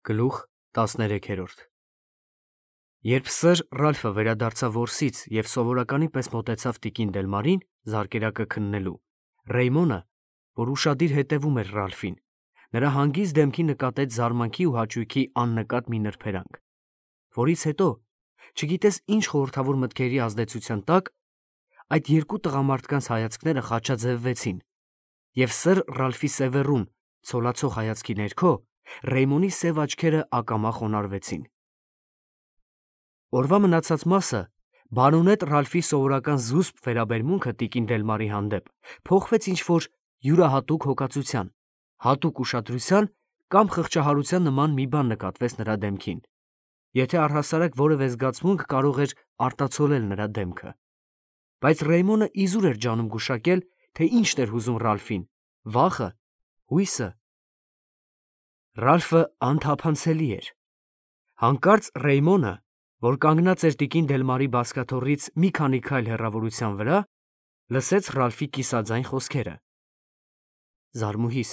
Գլուխ 13 Երբ սըր Ռալֆը վերադարձավ որսից և սովորականի պես մոտեցավ տիկին Դելմարին զարկերակը քննելու, Ռեյմոնը, որ ուշադիր հետևում էր Ռալֆին, նրա հանգիստ դեմքի նկատեց զարմանքի ու հաճույքի աննկատ մի նրբերանգ, որից հետո, չգիտես ինչ խորհրդավոր մտքերի ազդեցության տակ, այդ երկու տղամարդկանց հայացքները խաչաձևվեցին, և սըր Ռալֆի սևեռուն, ցոլացող հայացքի ներքո Ռեյմոնի սև աչքերը ակամա խոնարհվեցին։ Օրվա մնացած մասը բարոնետ Ռալֆի սովորական զուսպ վերաբերմունքը տիկին Դելմարի հանդեպ փոխվեց ինչ-որ յուրահատուկ հոգածության, հատուկ ուշադրության կամ խղճահարության նման մի բան նկատվեց նրա դեմքին, եթե առհասարակ որևէ զգացմունք կարող էր արտացոլել նրա դեմքը։ Բայց Ռեյմոնը իզուր էր ջանում գուշակել, թե ինչն էր հուզում Ռալֆին՝ վախը, հույսը։ Ռալֆը անթափանցելի էր։ Հանկարծ Ռեյմոնը, որ կանգնած էր տիկին Դելմարի բազկաթոռից մի քանի քայլ հեռավորության վրա, լսեց Ռալֆի կիսաձայն խոսքերը. «Զարմուհիս,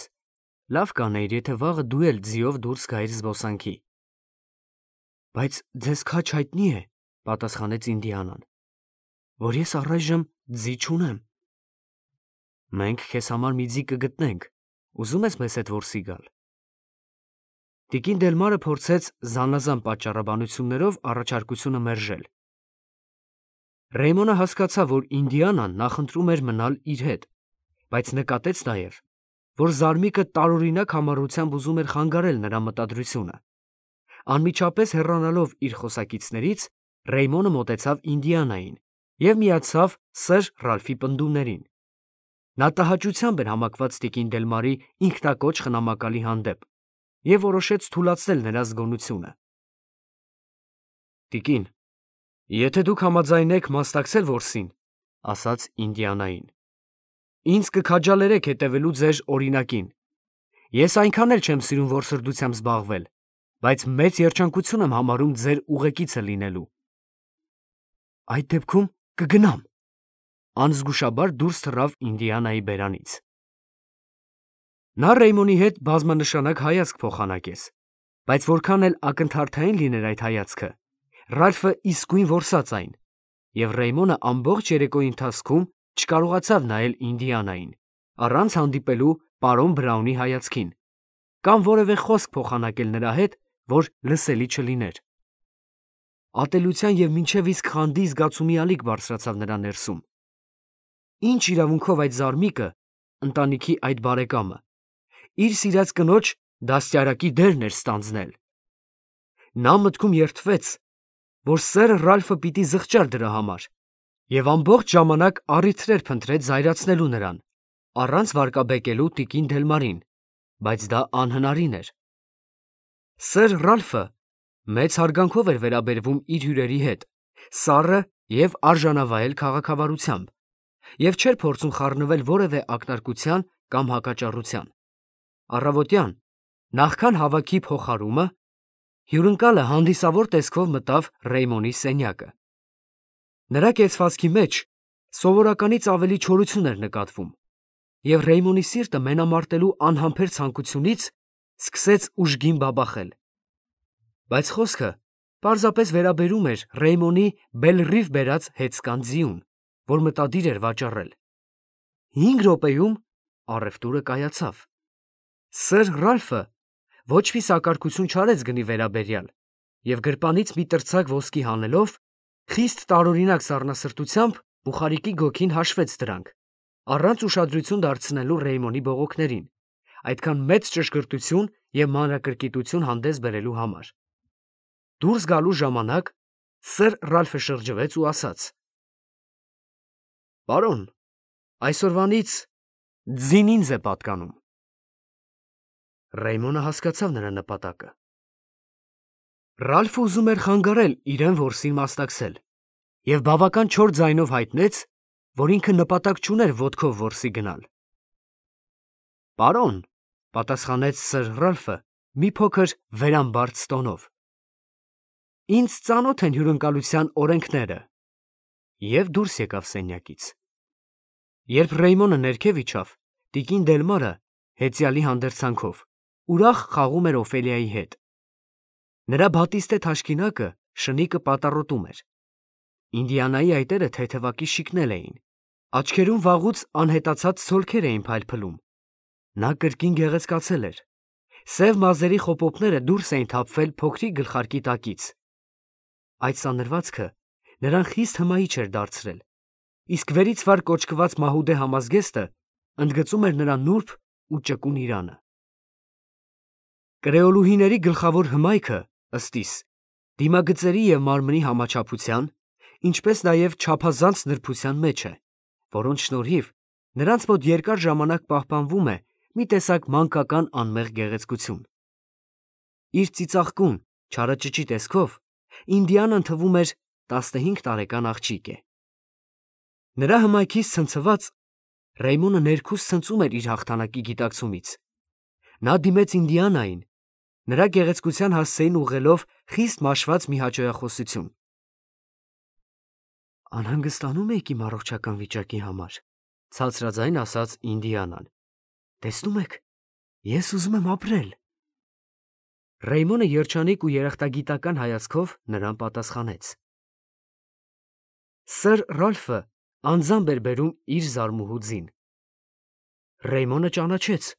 լավ կանեիր, եթե վաղը դու էլ ձիով դուրս գայիր զբոսանքի»։ «Բայց ձեզ քաջ հայտնի է, ֊ պատասխանեց Ինդիանան, ֊ որ ես առայժմ ձի չունեմ»։ «Մենք քեզ համար մի ձի կգտնենք, ուզում ես մեզ հետ որսի գալ»։ Տիկին Դելմարը փորձեց զանազան պատճառաբանություններով առաջարկությունը մերժել։ Ռեյմոնը հասկացավ, որ Ինդիանան նախընտրում էր մնալ իր հետ, բայց նկատեց նաև, որ զարմիկը տարօրինակ համառությամբ ուզում էր խանգարել նրա մտադրությունը։ Անմիջապես հեռանալով իր խոսակիցներից, Ռեյմոնը մոտեցավ Ինդիանային և միացավ սըր Ռալֆի պնդումներին։ Նա տհաճությամբ էր համակված տիկին Դելմարի ինքնակոչ խնամակալի հանդեպ և որոշեց թուլացնել նրա զգոնությունը։ «Տիկին, եթե դուք համաձայնեք մասնակցել որսին, ֊ ասաց Ինդիանային, ֊ ինձ կքաջալերեք հետևելու ձեր օրինակին։ Ես այնքան էլ չեմ սիրում որսորդությամբ զբաղվել, բայց մեծ երջանկություն եմ համարում ձեր ուղեկիցը լինելու»։ «Այդ դեպքում կգնամ», ֊ անզգուշաբար դուրս թռավ Ինդիանայի բերանից։ Նա Ռեյմոնի հետ բազմանշանակ հայացք փոխանակեց, բայց որքան էլ ակնթարթային լիներ այդ հայացքը, Ռալֆը իսկույն որսաց այն, և Ռեյմոնը ամբողջ երեկոյի ընթացքում չկարողացավ նայել Ինդիանային, առանց հանդիպելու պարոն Բրաունի հայացքին, կամ որևէ խոսք փոխանակել նրա հետ, որ լսելի չլիներ։ Ատելության և մինչև իսկ խանդի զգացումի ալիք բարձրացավ նրա ներսում։ Ինչ իրավունքով այդ զարմիկը, ընտանիքի այդ բարեկամը, իր սիրած կնոջ դաստիարակի դերն էր ստանձնել։ Նա մտքում երդվեց, որ սերը Ռալֆը պիտի զղջար դրա համար, և ամբողջ ժամանակ առիթներ փնտրեց զայրացնելու նրան, առանց վարկաբեկելու տիկին Դելմարին, բայց դա անհնարին էր։ Սըր Ռալֆը մեծ հարգանքով էր վերաբերվում իր հյուրերի հետ, սառը և արժանավայել քաղաքավարությամբ, և չէր փորձում խառնվել որևէ ակնարկության կամ հակաճառության։ Առավոտյան, նախքան հավաքի փոխարումը, հյուրընկալը հանդիսավոր տեսքով մտավ Ռեյմոնի սենյակը։ Նրա կեցվածքի մեջ սովորականից ավելի չորություն էր նկատվում, և Ռեյմոնի սիրտը մենամարտելու անհամբեր ցանկությունից սկսեց ուժգին բաբախել։ Բայց խոսքը պարզապես վերաբերում էր Ռեյմոնի բելռիվ բերած հեծկան ձիուն, որ մտադիր էր վաճառել։ 5 րոպեում առևտուրը կայացավ։ Սըր Ռալֆը ոչ մի սակարկություն չարեց գնի վերաբերյալ և գրպանից մի տրցակ ոսկի հանելով, խիստ տարօրինակ սառնասրտությամբ բուխարիկի գոգին հաշվեց դրանք, առանց ուշադրություն դարձնելու Ռեյմոնի բողոքներին, այդքան մեծ ճշգրտություն և մանրակրկիտություն հանդես բերելու համար։ Դուրս գալու ժամանակ սըր Ռալֆը շրջվեց ու ասաց. «Պարոն, այսօրվանից ձին ինձ է պատկանում»։ Ռեյմոնը հասկացավ նրա նպատակը։ Ռալֆը ուզում էր խանգարել իրեն որսին մասնակցել և բավական չոր ձայնով հայտնեց, որ ինքը նպատակ չուներ ոտքով որսի գնալ։ «Պարոն, ֊ պատասխանեց սըր Ռալֆը մի փոքր վերամբարձ տոնով, ֊ ինձ ծանոթ են հյուրընկալության օրենքները» և դուրս եկավ սենյակից։ Երբ Ռեյմոնը ներքև իջավ, տիկին Դելմարը, հեծյալի հանդերձանքով, ուրախ խաղում էր Օֆելիայի հետ, Նրա բատիստե թաշկինակը շնիկը պատառոտում էր։ Ինդիանայի այտերը թեթևակի շիկնել էին, աչքերում վաղուց անհետացած ցոլքեր էին փայլփլում։ Նա կրկին գեղեցկացել էր։ Սև մազերի խոպոպները դուրս էին թափվել փոքրիկ գլխարկի տակից։ Այդ սանրվածքը նրան խիստ հմայիչ էր դարձրել, իսկ վերից վար կոչկված մահուդե համազգեստը ընդգծում էր նրա նուրբ ու ճկուն իրանը։ Կրեոլուհիների գլխավոր հմայքը, ըստ իս, դիմագծերի և մարմնի համաչափության, ինչպես նաև չափազանց նրբության մեջ է, որոնց շնորհիվ նրանց մոտ երկար ժամանակ պահպանվում է մի տեսակ մանկական անմեղ գեղեցկություն։ Իր ծիծաղկուն, չարաճճի տեսքով Ինդիանան թվում էր 15 տարեկան աղջիկ է։ Նրա հմայքից ցնցված Ռեյմոնը ներքուստ ցնծում էր իր հաղթանակի գիտակցումից։ Նա դիմեց Ինդիանային, նրա գեղեցկության հասցեին ուղղելով խիստ մաշված մի հաճոյախոսություն։ Անհանգստանում եք իմ առողջական վիճակի համար, ցածրաձայն ասաց Ինդիանան։ Տեսնում եք, ես ուզում եմ ապրել։ Ռեյմոնը երջանիկ ու երախտագիտական հայացքով նրան պատասխանեց։ Սըր Ռալֆը անձամբ էր բերում իր զարմուհու ձին։ Ռեյմոնը ճանաչեց։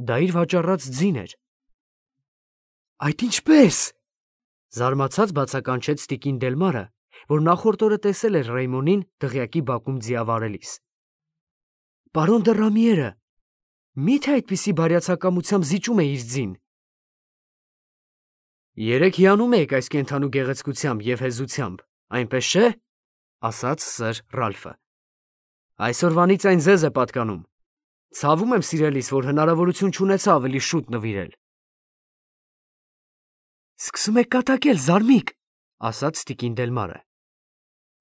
Դա իր վաճառած ձին էր։ Այդ ինչպե՞ս։ Զարմացած բացականչեց տիկին Դելմարը, որ նախորդ օրը տեսել էր Ռեյմոնին դղյակի բակում ձիավարելիս։ Պարոն դը Ռամիերը, մի՞թե այդպիսի բարյացակամությամբ զիջում է իր ձին։ Երեկ հիանում եք այս կենդանու գեղեցկությամբ և հեզությամբ, այնպես չէ, ասաց սըր Ռալֆը։ Այսօրվանից այն ձեզ է պատկանում։ Ցավում եմ, սիրելիս, որ հնարավորություն չունեցա ավելի շուտ նվիրել։ Սկսում եք կատակել, զարմիկ, ասաց տիկին Դելմարը։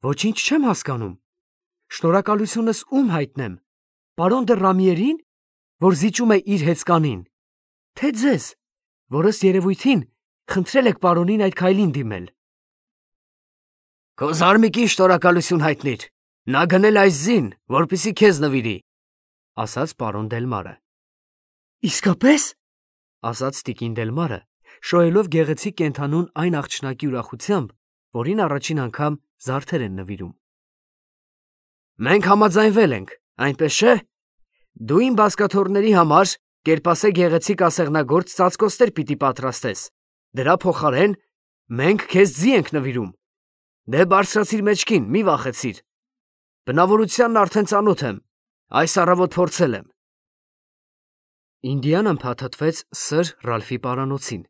Ոչինչ չեմ հասկանում։ Շնորհակալությունս ում հայտնեմ, պարոն դը Ռամիերին, որ զիջում է իր հեծկանին, թե ձեզ, որ ըստ երևույթին խնդրել եք պարոնին այդ քայլին դիմել։ Քո զարմիկին շնորհակալություն հայտնիր, նա գնել այս ձին, որպեսզի քեզ նվիրի, ասաց պարոն Դելմարը։ Իսկապես, ասաց տիկին Դելմարը, շոյելով գեղեցիկ կենդանուն այն աղջնակի ուրախությամբ, որին առաջին անգամ զարդեր են նվիրում։ Մենք համաձայնվել ենք, այնպես չէ։ Դու իմ բազկաթոռների համար կերպասե գեղեցիկ ասեղնագործ ծածկոստեր պիտի պատրաստես։ Դրա փոխարեն մենք քեզ ձի ենք նվիրում։ Դե բարձրացիր մեջքին, մի վախեցիր։ Բնավորությանն արդեն ծանոթ եմ, այս առավոտ փորձել եմ։ Ինդիանան փաթաթվեց սըր Ռալֆի պարանոցին,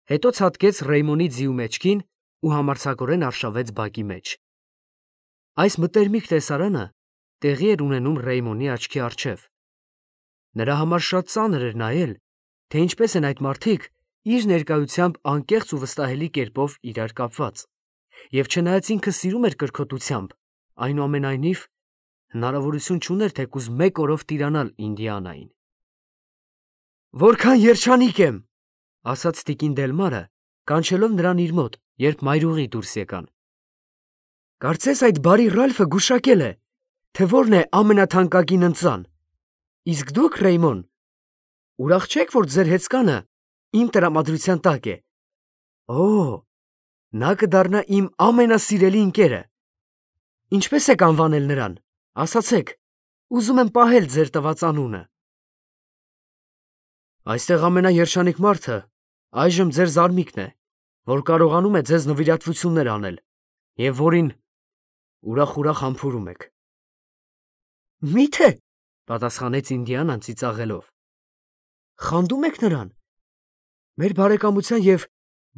հետո ցատկեց Ռեյմոնի ձիու մեջքին ու համարձակորեն արշավեց բակի մեջ։ Այս մտերմիկ տեսարանը տեղի էր ունենում Ռեյմոնի աչքի առջև։ Նրա համար շատ ծանր էր նայել, թե ինչպես են այդ մարդիկ իր ներկայությամբ անկեղծ ու վստահելի կերպով իրար կապված, և չնայած ինքը սիրում էր կրքոտությամբ, այնուամենայնիվ հնարավորություն չուներ թեկուզ մեկ օրով տիրանալ Ինդիանային։ Որքան երջանիկ եմ, ասաց տիկին Դելմարը, կանչելով նրան իր մոտ, երբ մայրուղի դուրս եկան։ Կարծես այդ բարի Ռալֆը գուշակել է, թե որն է ամենաթանկագին ընծան։ Իսկ դուք, Ռեյմոն, ուրախ չեք, որ ձեր հեծկանը իմ տրամադրության տակ է։ Օ, նա կդառնա իմ ամենասիրելի ընկերը։ Ինչպես եք անվանել նրան, ասացեք, ուզում եմ պահել ձեր տված անունը։ Այստեղ ամենաերջանիկ մարդը այժմ ձեր զարմիկն է, որ կարողանում է ձեզ նվիրատվություններ անել, և որին ուրախ համբուրում եք։ Մի՞թե, պատասխանեց Ինդիանան ծիծաղելով։ Խանդում եք նրան։ Մեր բարեկամության և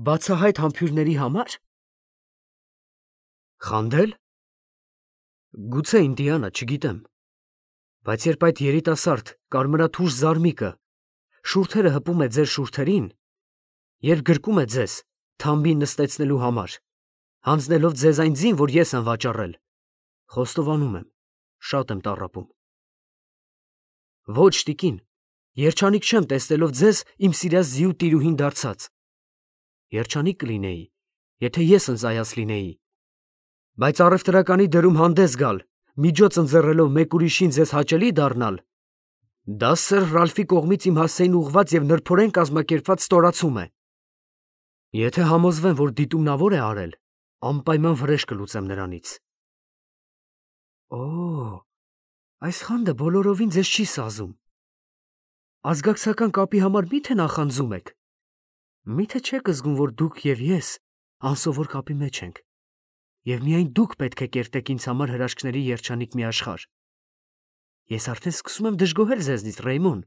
բացահայտ համբույրների համար։ Խանդել։ Գուցե Ինդիանա, չգիտեմ, բայց երբ այդ երիտասարդ կարմրաթուշ զարմիկը շուրթերը հպում է ձեր շուրթերին, երբ գրկում է ձեզ թամբին նստեցնելու համար, հանձնելով ձեզ այն ձին, որ ես եմ վաճառել, խոստովանում եմ, շատ եմ տառապում։ Ոչ, տիկին, երջանիկ չեմ տեսնելով ձեզ իմ սիրած ձիու տիրուհին դարձած։ Երջանիկ կլինեի, եթե ես ընծայած լինեի, բայց առևտրականի դրում հանդես գալ, միջոց ընձեռելով մեկ ուրիշին ձեզ հաճելի դառնալ, դա սըր Ռալֆի կողմից իմ հասցեին ուղղված և նրբորեն կազմակերպված ստորացում է։ Եթե համոզվեմ, որ դիտումնավոր է արել, անպայման վրեժ կլուծեմ նրանից։ Օ, այս խանդը բոլորովին ձեզ չի սազում։ Ազգակցական կապի համար մի՞թե նախանձում եք։ Մի՞թե չեք զգում, որ դուք եւ ես անսովոր կապի մեջ ենք, եւ միայն դուք պետք է կերտեք ինձ համար հրաշքների երջանիկ մի աշխարհ։ Ես արդեն սկսում եմ դժգոհել ձեզնից, Ռեյմոն։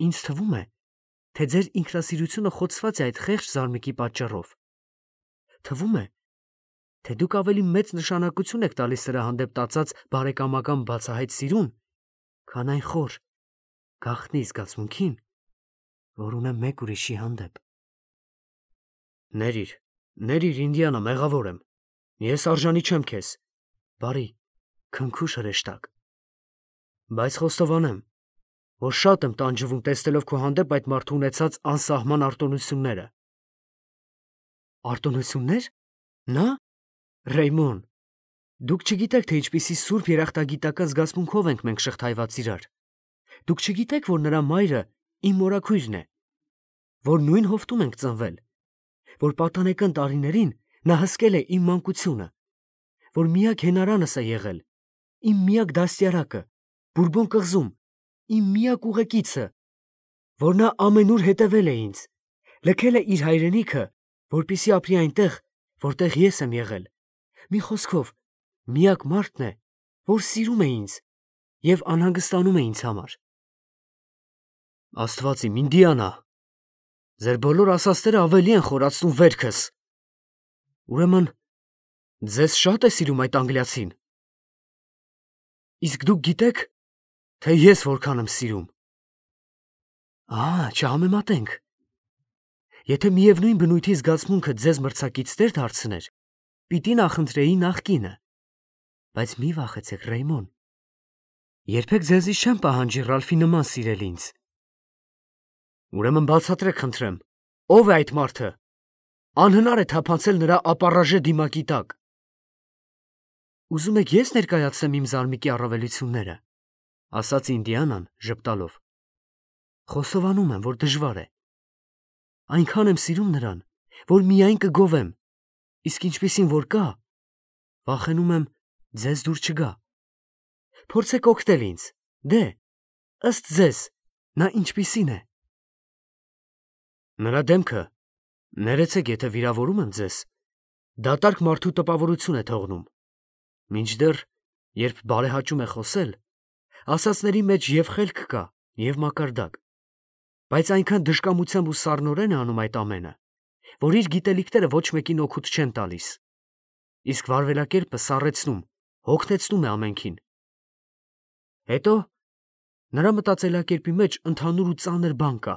Ինձ թվում է, թե ձեր ինքնասիրությունը խոցված է այդ խեղճ զարմիկի պատճառով։ Թվում է, թե դուք ավելի մեծ նշանակություն եք տալիս սրա հանդեպ տածած բարեկամական բացահայտ սիրուն, քան այն խոր, գաղտնի զգացմունքին, որ ունեմ մեկ ուրիշի հանդեպ։ Ներիր, Ինդիանա, մեղավոր եմ։ Ես արժանի չեմ քեզ։ Բարի, քնքուշ հրեշտակ։ Բայց խոստովանեմ, որ շատ եմ տանջվում տեսնելով քո հանդեպ այդ մարդու ունեցած անսահման արտոնությունները։ Արտոնություններ։ Նա։ Ռեյմոն, դուք չգիտեք, թե ինչպիսի սուրբ երախտագիտական զգացմունքով ենք մենք շղթայված իրար։ Դուք չգիտեք, որ նրա մայրը իմ մորաքույրն է, որ նույն հովտում ենք ծնվել, որ պատանեկան տարիներին նա հսկել է իմ մանկությունը, որ միակ հենարանս է եղել, իմ միակ դաստիարակը, Բուրբոն կղզում, իմ միակ ուղեկիցը, որ նա ամենուր հետևել է ինձ, լքել է իր հայրենիքը, որպեսզի ապրի այնտեղ, որտեղ ես եմ եղել։ Մի խոսքով, միակ մարդն է, որ սիրում է ինձ եւ անհանգստանում է ինձ համար։ Աստված իմ, Ինդիանա, ձեր բոլոր ասածները ավելի են խորացնում վերքս։ Ուրեմն, ձեզ շատ է սիրում այդ անգլիացին։ Իսկ դուք գիտեք, թե ես որքան եմ սիրում։ Չհամեմատենք։ Եթե միևնույն բնույթի զգացմունքը ձեզ մրցակիցներ դարձներ, պիտի նախընտրեի նախկինը։ Բայց մի վախեցեք, Ռեյմոն։ Երբեք ձեզից չեմ պահանջի Ռալֆի նման սիրել ինձ։ Ուրեմն բացատրեք, խնդրեմ, ով է այդ մարդը։ Անհնար է թափանցել նրա ապառաժե դիմակի տակ։ Ուզում եք ես ներկայացնեմ իմ զարմիկի առավելությունները, ասաց Ինդիանան ժպտալով։ Խոստովանում եմ, որ դժվար է։ Այնքան եմ սիրում նրան, որ միայն կգովեմ, իսկ ինչպիսին որ կա, վախենում եմ ձեզ դուր չգա։ Փորձեք օգնել ինձ, դե, ըստ ձեզ, նա ինչպիսին է։ Նրա դեմքը, ներեցեք, եթե վիրավորում եմ ձեզ, դատարկ մարդու տպավորություն է թողնում։ Մինչդեռ, երբ բարեհաճում է խոսել, ասածների մեջ և խելք կա, և մակարդակ, բայց այնքան դժկամությամբ ու սառնորեն է անում այդ ամենը, որ իր գիտելիքները ոչ մեկին օգուտ չեն տալիս, իսկ վարվելակերպը սառեցնում, հոգնեցնում է ամենքին։ Հետո նրա մտածելակերպի մեջ ընդհանուր ու ծանր բան կա,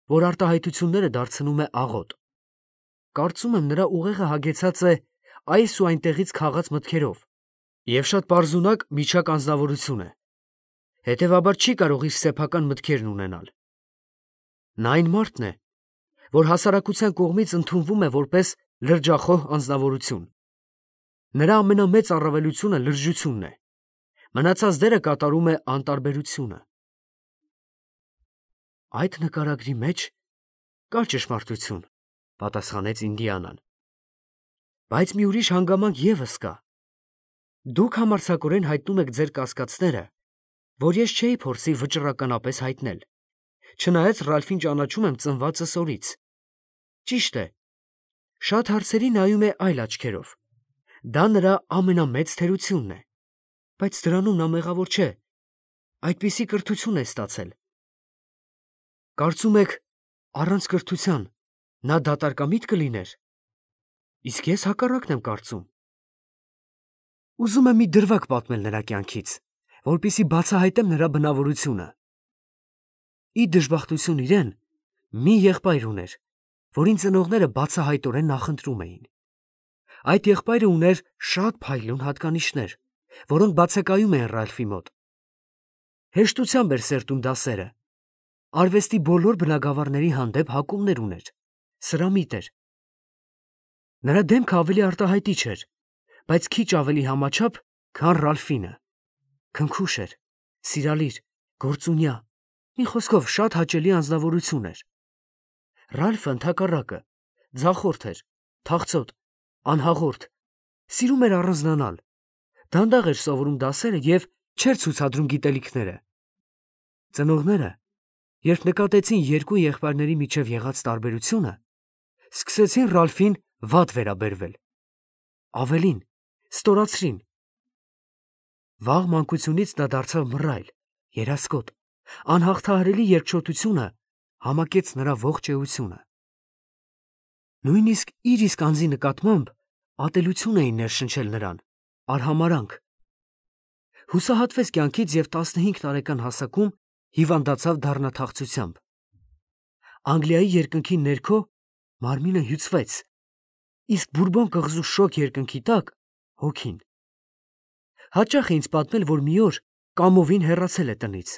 որ արտահայտությունները դարձնում է աղոտ։ Կարծում եմ, նրա ուղեղը հագեցած է այս ու այնտեղից քաղած մտքերով, և շատ պարզունակ միջակ անձնավորություն է, հետևաբար չի կարող իր սեփական մտքերն ունենալ։ Նա այն մարդն է, որ հասարակության կողմից ընդունվում է որպես լրջախոհ անձնավորություն։ Նրա ամենամեծ առավելությունը լրջությունն է, մնացած դերը կատարում է անտարբերությունը։ Այդ նկարագրի մեջ կա ճշմարտություն, պատասխանեց Ինդիանան։ Բայց մի ուրիշ հանգամանք ևս կա։ Դուք համարձակորեն հայտնում եք ձեր կասկածները, որ ես չէի փորձի վճռականապես հայտնել, չնայած Ռալֆին ճանաչում եմ ծնվածս օրից։ Ճիշտ է, շատ հարցերի նայում է այլ աչքերով։ Դա նրա ամենամեծ թերությունն է, բայց դրանում նա մեղավոր չէ, այդպիսի կրթություն է ստացել։ Կարծում եք, առանց կրթության նա դատարկամիտ կլիներ։ Իսկ ես հակառակն եմ կարծում։ Ուզում եմ մի դրվագ պատմել նրա կյանքից, որպեսզի բացահայտեմ նրա բնավորությունը։ Ի դժբախտություն իրեն, մի եղբայր ուներ, որին ծնողները բացահայտորեն նախընտրում էին։ Այդ եղբայրը ուներ շատ փայլուն հատկանիշներ, որոնք բացակայում էին Ռալֆի մոտ։ Հեշտությամբ էր սերտում դասերը, արվեստի բոլոր բնագավառների հանդեպ հակումներ ուներ, սրամիտ էր։ Նրա դեմքը ավելի արտահայտիչ էր, բայց քիչ ավելի համաչափ, քան Ռալֆինը։ Քնքուշ էր, սիրալիր, գործունյա, մի խոսքով շատ հաճելի անձնավորություն էր։ Ռալֆը ընդհակառակը ձախորդ էր, թախծոտ, անհաղորդ, սիրում էր առանձնանալ, դանդաղ էր սովորում դասերը և չէր ցուցադրում գիտելիքները։ Ծնողները, երբ նկատեցին երկու եղբայրների միջև եղած տարբերությունը, սկսեցին Ռալֆին վատ վերաբերվել։ Ավելին, ստորացրին։ Վաղ մանկությունից դա դարձավ մռայլ, երասկոտ, անհաղթահարելի երկչոտությունը համակեց նրա ողջ էությունը։ Նույնիսկ իր իսկ անձի նկատմամբ ատելություն էին ներշնչել նրան, արհամարհանք։ Հուսահատվեց կյանքից և 15 տարեկան հասակում հիվանդացավ դառնաթախծությամբ։ Անգլիայի երկնքի ներքո մարմինը հյուծվեց, իսկ բուրբոն կղզու շոգ երկնքի տակ հոգին։ Հաճախ է ինձ պատմել, որ մի օր կամովին հեռացել է տնից,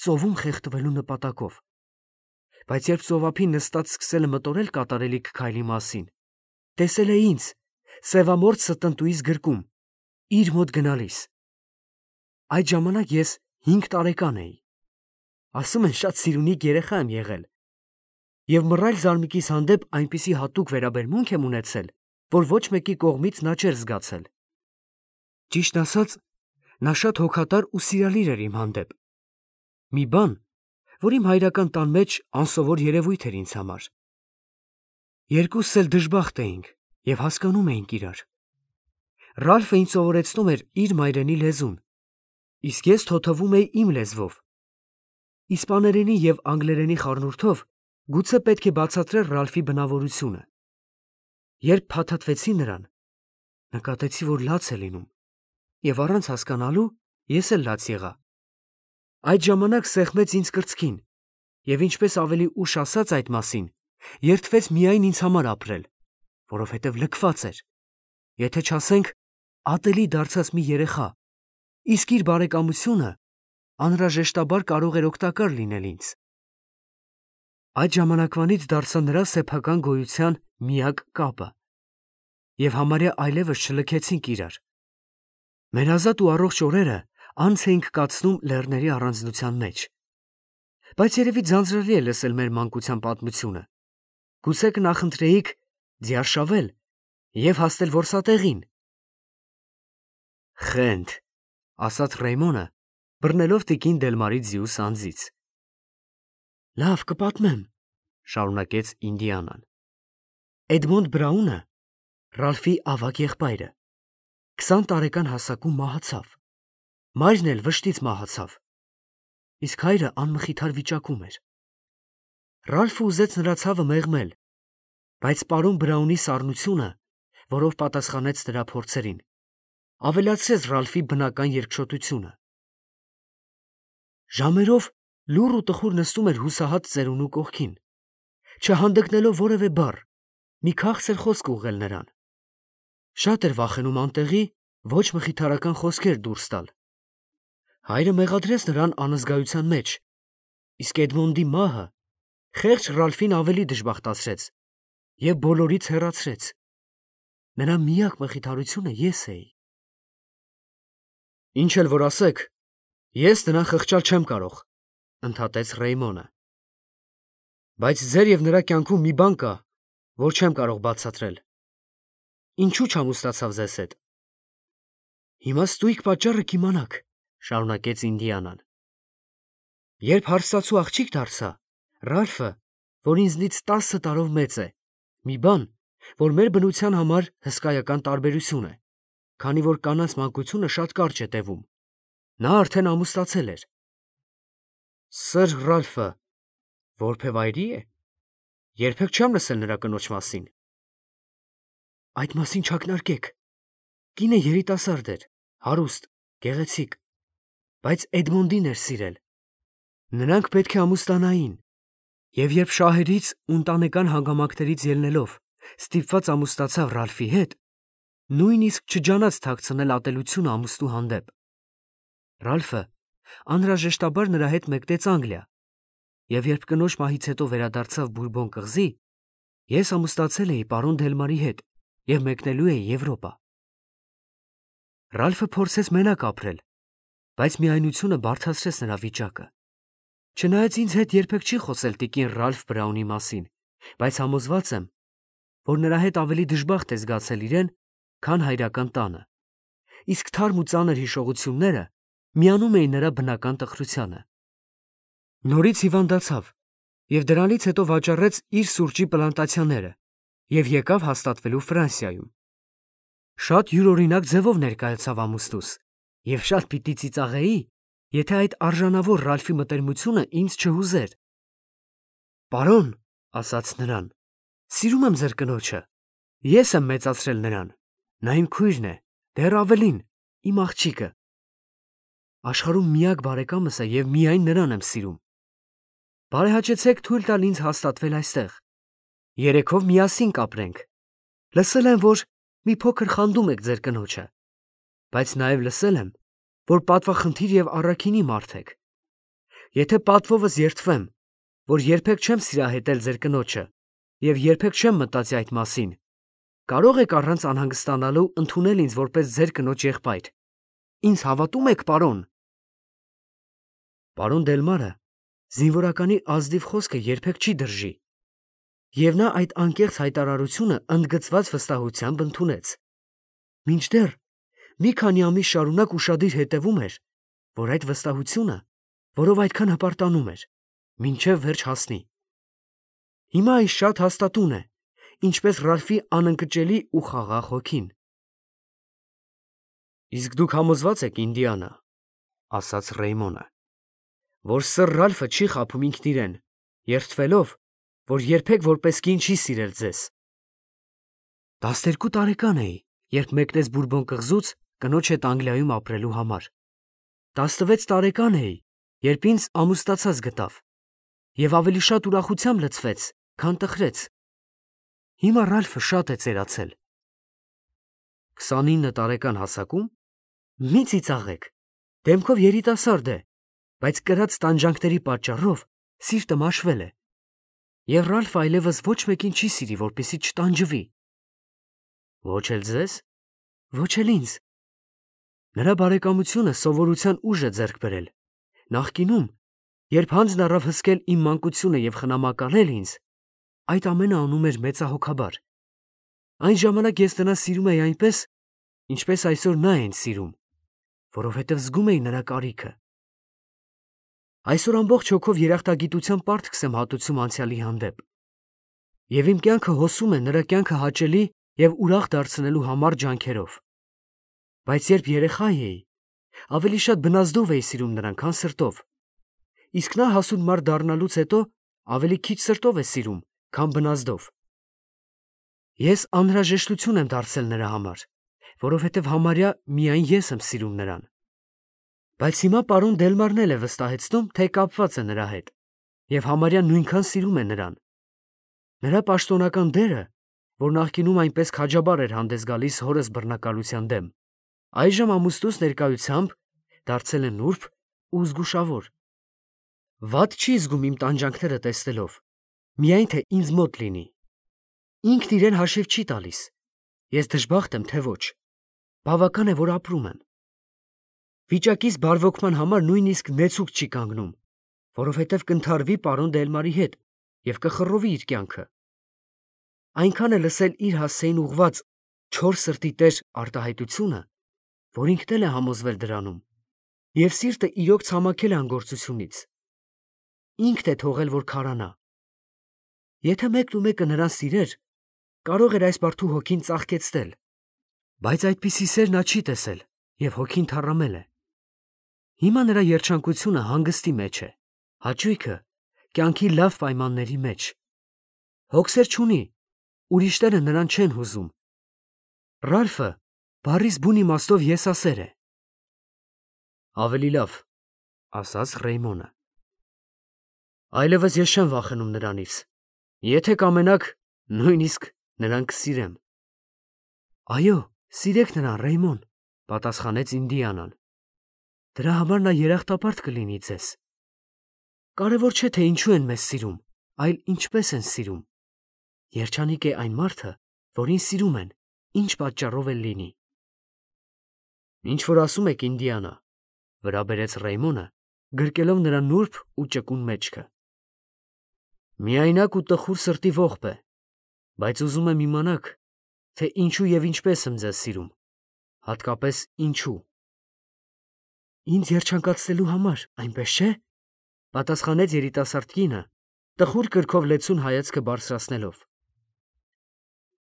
ծովում խեղդվելու նպատակով։ Բայց երբ ծովափին նստած սկսել է մտորել կատարելիք քայլի մասին, տեսել է ինձ, սևամորթ ստնտուիս գրկում, իր մոտ գնալիս։ Այդ ժամանակ ես 5 տարեկան էի։ Ասում են, շատ սիրունիկ երեխա եմ եղել։ Եվ մռայլ զարմիկիս հանդեպ այնպիսի հատուկ վերաբերմունք եմ ունեցել, որ ոչ մեկի կողմից նա չէր զգացել։ Ճիշտ ասած, նա շատ հոգատար ու սիրալիր էր իմ հանդեպ։ Մի բան, որ իմ հայրական տան մեջ անսովոր երևույթ էր ինձ համար։ Երկուսս էլ դժբախտ էինք և հասկանում էինք իրար։ Ռալֆը ինձ սովորեցնում էր իր մայրենի լեզուն, իսկ ես թոթվում էի իմ լեզվով։ Իսպաներենի և անգլերենի խառնուրդով գուցե պետք է բացատրել Ռալֆի բնավորությունը։ Երբ փաթաթվեցի նրան, նկատեցի, որ լաց է լինում, և առանց հասկանալու ես էլ լաց եղա։ Այդ ժամանակ սեղմեց ինձ կրծքին, և ինչպես ավելի ուշ ասաց այդ մասին, երդվեց միայն ինձ համար ապրել, որովհետև լքված էր, եթե չասենք ատելի դարձած մի երեխա, իսկ իր բարեկամությունը անհրաժեշտաբար կարող էր օգտակար լինել ինձ։ Այդ ժամանակվանից դարձա նրա սեփական գոյության միակ կապը, և համարյա այլևս չլքեցինք իրար։ Մեր ազատ ու առողջ օրերը անց էինք կացնում լեռների առանձնության մեջ։ Բայց երևի ձանձրալի է լսել մեր մանկության պատմությունը։ Գուցե կնախընտրեիք ձիարշավել և հասնել որսատեղին։ Խենթ, ասաց Ռեյմոնը, բռնելով տիկին Դելմարի ձիու սանձից։ Լավ, կպատմեմ, շարունակեց Ինդիանան։ Էդմոնդ Բրաունը, Ռալֆի ավագ եղբայրը, 20 տարեկան հասակում մահացավ։ Մայրն էլ վշտից մահացավ, իսկ հայրը անմխիթար վիճակում էր։ Ռալֆը ուզեց նրա ցավը մեղմել, բայց պարոն Բրաունի սառնությունը, որով պատասխանեց նրա փորձերին, ավելացրեց Ռալֆի բնական երկչոտությունը։ Ժամերով լուռ ու տխուր նստում էր հուսահատ ծերունու կողքին, չհանդգնելով որևէ բառ, մի քաղցր խոսք ուղղել նրան։ Շատ էր վախենում անտեղի, ոչ մխիթարական խոսքեր դուրս տալ։ Հայրը մեղադրեց նրան անզգայության մեջ, իսկ Էդմոնդի մահը խեղճ Ռալֆին ավելի դժբախտացրեց և բոլորից հեռացրեց։ Նրա միակ մխիթարությունը ես էի։ Ինչ էլ որ ասեք, ես նրան խղճալ չեմ կարող, ընդհատեց Ռեյմոնը։ Բայց ձեր և նրա կյանքում մի բան կա, որ չեմ կարող բացատրել։ Ինչու չամուսնացավ ձեզ հետ։ Հիմա ստույգ պատճառը կիմանաք, շարունակեց Ինդիանան։ Երբ հարստացու աղջիկ դարձա, Ռալֆը, որ ինձնից 10 տարով մեծ է, մի բան, որ մեր բնության համար հսկայական տարբերություն է, քանի որ կանանց մանկությունը շատ կարճ է տևում, նա արդեն ամուսնացել էր։ Սըր Ռալֆը որբևայրի է։ Երբեք չեմ լսել նրա կնոջ մասին։ Այդ մասին չակնարկեք։ Կինը երիտասարդ էր, հարուստ, գեղեցիկ, բայց Էդմոնդին էր սիրել։ Նրանք պետք է ամուսնանային, և երբ շահերից ու ընտանեկան հանգամանքներից ելնելով ստիպված ամուսնացավ Ռալֆի հետ, նույնիսկ չջանաց թաքցնել ատելությունը ամուսնու հանդեպ։ Ռալֆը անհրաժեշտաբար նրա հետ մեկնեց Անգլիա, և երբ կնոջ մահից հետո վերադարձավ Բուրբոն կղզի, ես ամուսնացել էի պարոն Դելմարի հետ և մեկնելու էի Եվրոպա։ Ռալֆը փորձեց մենակ ապրել, բայց միայնությունը բարդացրեց նրա վիճակը։ Չնայած ինձ հետ երբեք չի խոսել տիկին Ռալֆ Բրաունի մասին, բայց համոզված եմ, որ նրա հետ ավելի դժբախտ է զգացել իրեն, քան հայրական տանը, իսկ թարմ ու ծանր հիշողությունները միանում էին նրա բնական տխրությանը։ Նորից հիվանդացավ և դրանից հետո վաճառեց իր սուրճի պլանտացիաները և եկավ հաստատվելու Ֆրանսիայում։ Շատ յուրօրինակ ձևով ներկայացավ ամուսնուս և շատ պիտի ծիծաղեի, եթե այդ արժանավոր Ռալֆի մտերմությունը ինձ չհուզեր։ «Պարոն», ասաց նրան, «սիրում եմ ձեր կնոջը, ես եմ մեծացրել նրան, նա իմ քույրն է, դեռ ավելին, իմ աղջիկը։ Աշխարհում միակ բարեկամս է և միայն նրան եմ սիրում։ Բարեհաճեցեք թույլ տալ ինձ հաստատվել այստեղ։ Երեքով միասին կապրենք։ Լսել եմ, որ մի փոքր խանդում եք ձեր կնոջը, բայց նաև լսել եմ, որ պատվախնդիր և առաքինի մարդ եք։ Եթե պատվովս երդվեմ, որ երբեք չեմ սիրահետել ձեր կնոջը և երբեք չեմ մտածի այդ մասին, կարող եք առանց անհանգստանալու ընդունել ինձ որպես ձեր կնոջ եղբայր։ Ինձ հավատո՞ւմ եք, պարոն»։ Պարոն Դելմարը զինվորականի ազնիվ խոսքը երբեք չի դրժի, և նա այդ անկեղծ հայտարարությունը ընդգծված վստահությամբ ընդունեց։ Մինչդեռ մի քանի ամիս շարունակ ուշադիր հետևում էր, որ այդ վստահությունը, որով այդքան հպարտանում էր, մինչև վերջ հասնի։ Հիմա այս շատ հաստատուն է, ինչպես Ռալֆի անընկճելի ու խաղաղ հոգին։ «Իսկ դուք համոզված եք, Ինդիանա, — ասաց Ռեյմոնը, — որ սըր Ռալֆը չի խաբում ինքն իրեն, երդվելով, որ երբեք որպես կին չի սիրել ձեզ»։ 12 տարեկան էի, երբ մեկնեց Բուրբոն կղզուց կնոջ հետ Անգլիայում ապրելու համար։ 16 տարեկան էի, երբ ինձ ամուսնացած գտավ և ավելի շատ ուրախությամբ լցվեց, քան տխրեց։ Հիմա Ռալֆը շատ է ծերացել։ 29 տարեկան հասակում։ Մի ծիծաղեք, դեմքով երիտասարդ է, բայց կրած տանջանքների պատճառով սիրտը մաշվել է։ Եվ Ռալֆը այլևս ոչ մեկին չի սիրի, որպեսզի չտանջվի։ Ոչ էլ ձեզ, ոչ էլ ինձ։ Նրա բարեկամությունը սովորության ուժ է ձեռք բերել։ Նախկինում, երբ հանձն առավ հսկել իմ մանկությունը և խնամակալել ինձ, այդ ամենը անում էր մեծահոգաբար։ Այն ժամանակ ես նրան սիրում էի այնպես, ինչպես այսօր նա է ինձ սիրում, որովհետև զգում էի նրա կարիքը։ Այսօր ամբողջ հոգով երախտագիտության պարտքս եմ հատուցում անցյալի հանդեպ, և իմ կյանքը հոսում է նրա կյանքը հաճելի և ուրախ դարձնելու համառ ջանքերով։ Բայց երբ երեխա էի, ավելի շատ բնազդով էի սիրում նրան, քան սրտով, իսկ նա հասուն մարդ դառնալուց հետո ավելի քիչ սրտով է սիրում, քան բնազդով։ Ես անհրաժեշտություն եմ դարձել նրա համար, որովհետև համարյա միայն ես եմ սիրում նրան։ Բայց հիմա պարոն Դելմարն էլ է վստահեցնում, թե կապված է նրա հետ և համարյա նույնքան սիրում է նրան։ Նրա պաշտոնական դերը, որ նախկինում այնպես քաջաբար էր հանդես գալիս հորս բռնակալության դեմ, այժմ ամուսնուս ներկայությամբ դարձել է նուրբ ու զգուշավոր։ Վատ չի զգում իմ տանջանքները տեսնելով, միայն թե ինձ մոտ լինի։ Ինքն իրեն հաշիվ չի տալիս, ես դժբախտ եմ, թե ոչ։ Բավական է, որ ապրում եմ։ Վիճակից բարվոքման համար նույնիսկ նեցուկ չի կանգնում, որովհետև կընդհարվի պարոն Դելմարի հետ և կխռովի իր կյանքը։ Այնքան է լսել իր հասցեին ուղված չոր սրտի տեր արտահայտությունը, որ ինքն էլ է համոզվել դրանում, և սիրտը իրոք ցամաքել է անգործությունից։ Ինքն է թողել, որ քարանա։ Եթե մեկն ու մեկը նրան սիրեր, կարող էր այս բարդու հոգին ծաղկեցնել, բայց այդպիսի սեր նա չի տեսել և հոգին թառամել է։ Հիմա նրա երջանկությունը հանգստի մեջ է, հաճույքը կյանքի լավ պայմանների մեջ։ Հոգսեր չունի, ուրիշները նրան չեն հուզում։ Ռալֆը բառիս բուն իմաստով եսասեր է։ Ավելի լավ, ասաց Ռեյմոնը։ Այլևս ես չեմ վախենում նրանից։ Եթե կամենաք, նույնիսկ նրան կսիրեմ։ Այո, սիրեք նրան, Ռեյմոն, պատասխանեց Ինդիանան։ Դրա համար նա երախտապարտ կլինի ձեզ։ Կարևոր չէ, թե ինչու են մեզ սիրում, այլ ինչպես են սիրում։ Երջանիկ է այն մարդը, որին սիրում են, ինչ պատճառով էլ լինի։ Ինչ որ ասում եք, Ինդիանա, վրա բերեց Ռեյմոնը, գրկելով նրա նուրբ ու ճկուն մեջքը։ Միայնակ ու տխուր սրտի ողբ է։ Բայց ուզում եմ իմանաք, թե ինչու եւ ինչպես եմ ձեզ սիրում, հատկապես ինչու։ Ինձ երջանկացնելու համար, այնպես չէ՞, պատասխանեց երիտասարդ կինը, տխուր կրքով լեցուն հայացքը բարձրացնելով,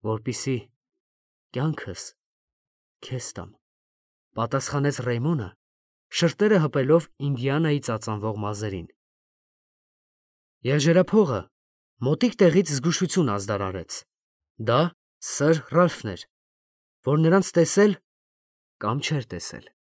որպիսի կյանքս քեզ տամ, պատասխանեց Ռեյմոնը, շրտերը հպելով Ինդիանայի ծածանվող մազերին։ Եղջերափողը մոտիկ տեղից զգուշություն ազդարարեց. դա սըր Ռալֆն էր, որ նրանց տեսել կամ չէր տեսել։